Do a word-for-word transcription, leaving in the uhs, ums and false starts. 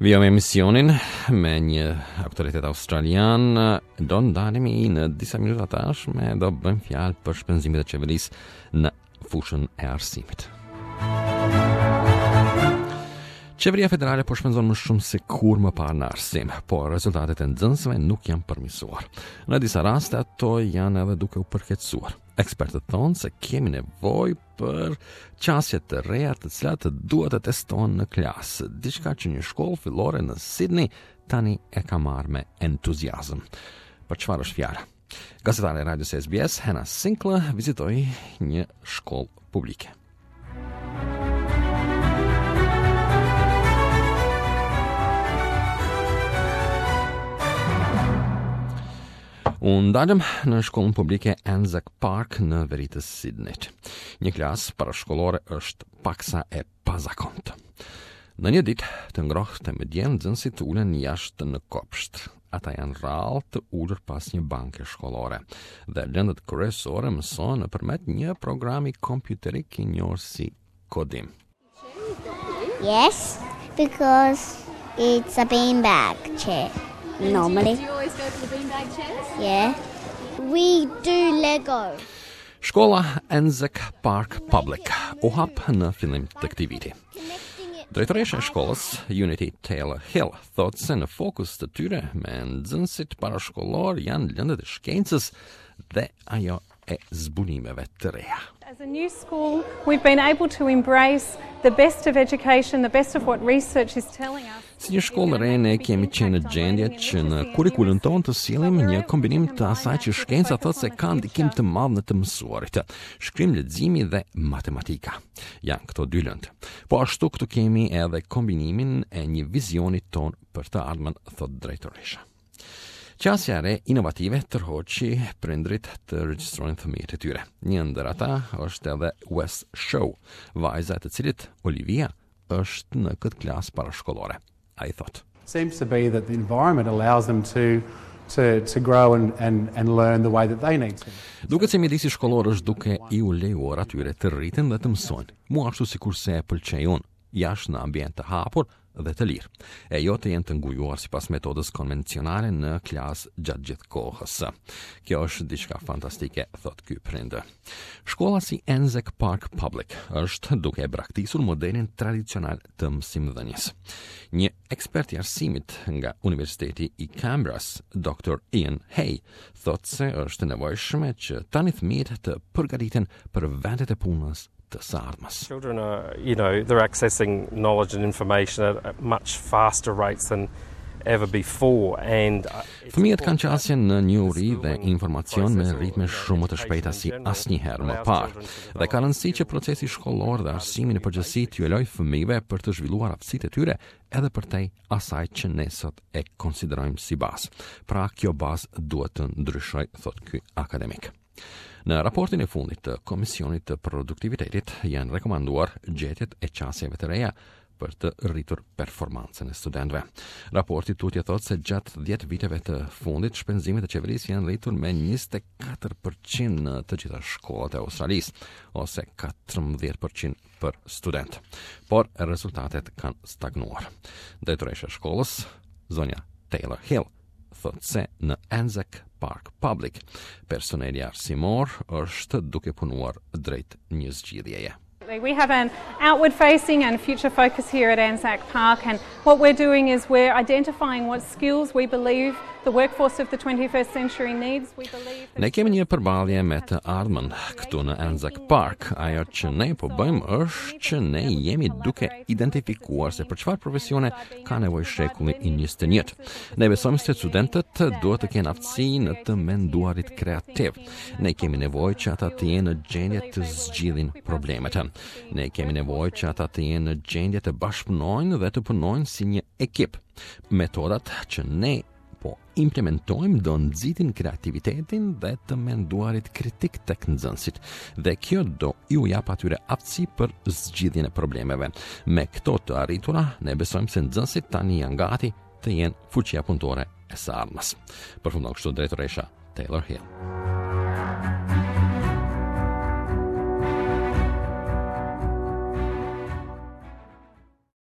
Vijojmë emisionin me një autoritet australian. Do ndalemi në disa minuta tashme, do bëjmë fjalë për shpenzimet e qeverisë në fushën e arsimit. Qeveria federale po shpenzon më shumë se kurrë më parë në arsim, por rezultatet e nxënësve nuk janë përmirësuar. Në disa raste ato janë edhe duke u përkeqësuar. Ekspertët thonë se kemi nevojë për qasje të reja të cilat duhet të testohen në klasë, diçka që një shkollë fillore në Sydney tani e ka marrë me entuziazëm. Për çfarë është fjala? Gazetare e radios S B S, Hannah Sinclair, vizitoi një shkollë publike. U ndalëm në shkollën publike Anzac Park në veri të Sydneyt. Një klasë parashkollore është paksa e pazakontë. Në një ditë të ngrohtë me diell, nxënësit ulen jashtë në kopsht. Ata janë rrallë të ulur pas një banke shkollore dhe lëndët kryesore mësohen nëpërmjet një programi kompjuterik i njohur si Kodim. Yes, because it's a beanbag chair normally. Do you always go for the beanbag chairs? Yeah. We do Lego. Shkolla Anzac Park Public u hap në fillim të këtij viti. Drejtoresha e shkollës, Unity Taylor Hill, thotë se në fokus të tyre me nxënësit parashkollor janë lëndët e shkencës dhe ajo e zbulimeve të reja. As a new school, we've been able to embrace the best of education, the best of what research is telling us. Si një shkollë re, ne kemi qenë në gjendje që në kurrikulën tonë të sjellim një kombinim të asaj që shkenca thotë se ka ndikim të madh në të mësuarit. Shkrim, leximi dhe matematika. Janë këto dy lëndë. Po ashtu këtu kemi edhe kombinimin e një vizioni ton për të ardhmen, thotë drejtoresha. Qasja e re inovative tërhoqi prindrit të regjistrojnë fëmijët e tyre. Një ndër ata është edhe Wes Shaw, vajza e të cilit Olivia është në këtë klasë parashkollore. Ai thotë: Seems to be that the environment allows them to to to grow and and and learn the way that they need to. Duket se mjedisi shkollor është duke i u lejuar atyre të rriten dhe të mësojnë, mu ashtu sikurse e pëlqej unë, jashtë në ambient të hapur dhe të lirë, e jo të jenë të ngujuar sipas metodës konvencionale në klasë gjatë gjithë kohës. Kjo është diçka fantastike, thot ky prind. Shkolla si Anzac Park Public është duke e braktisur modelin tradicional të mësimdhënies. Një ekspert i arsimit nga Universiteti i Canberras, Doktor Ian Hay, thot se është e nevojshme që tani fëmijët të përgatiten për vendet e punës të së ardhmes. Children are, you know, they're accessing knowledge and information at, at much faster rates than ever before and uh, Fëmijët kanë qasje në njohuri dhe informacion me ritme shumë më të shpejta si asnjëherë më parë. Dhe ka rëndësi që procesi shkollor dhe arsimi në përgjithësi t'ju lejojë fëmijëve për të zhvilluar aftësitë e tyre edhe përtej asaj që ne sot e konsiderojmë si bazë. Pra, kjo bazë duhet të ndryshojë, thot ky akademik. Në raportin e fundit të Komisionit të Produktivitetit janë rekomanduar gjetjet e qasjeve të reja për të rritur performancën e studentëve. Raporti tutje thotë se gjatë dhjetë viteve të fundit shpenzimet e qeverisë janë rritur me njëzet e katër për qind në të gjitha shkollat e Australisë, ose katërmbëdhjetë për qind për student. Por rezultatet kanë stagnuar. Drejtoresha e shkollës, zonja Taylor Hill, thotë se në Anzac Park Public personeli arsimor është duke punuar drejt një zgjidhjeje. We have an outward facing and future focus here at Anzac Park, and what we're doing is we're identifying what skills we believe the workforce of the twenty-first century needs. We believe Ne kemi një përballje me të ardhmen këtu në Anzac Park. Ajo që ne po bëjmë është që ne jemi duke identifikuar se për çfarë profesione ka nevojë shekulli i njëzet e një. Ne besojmë se studentët duhet të kenë aftësi në të menduarit kreativ. Ne kemi nevojë që ata të jenë në gjendje të zgjidhin problemet. Ne kemi nevojë që ata të jenë në gjendje të bashkëpunojnë dhe të punojnë si një ekip. Metodat që ne po implementojmë do nxitin kreativitetin dhe të menduarit kritik tek nxënësit dhe kjo do iu jap atyre aftësi për zgjidhjen e problemeve. Me këto të arritura, ne besojmë se nxënësit tani janë gati të jenë fuqia punëtore e së ardhmes. Përfundon kështu drejtoresha Taylor Hill.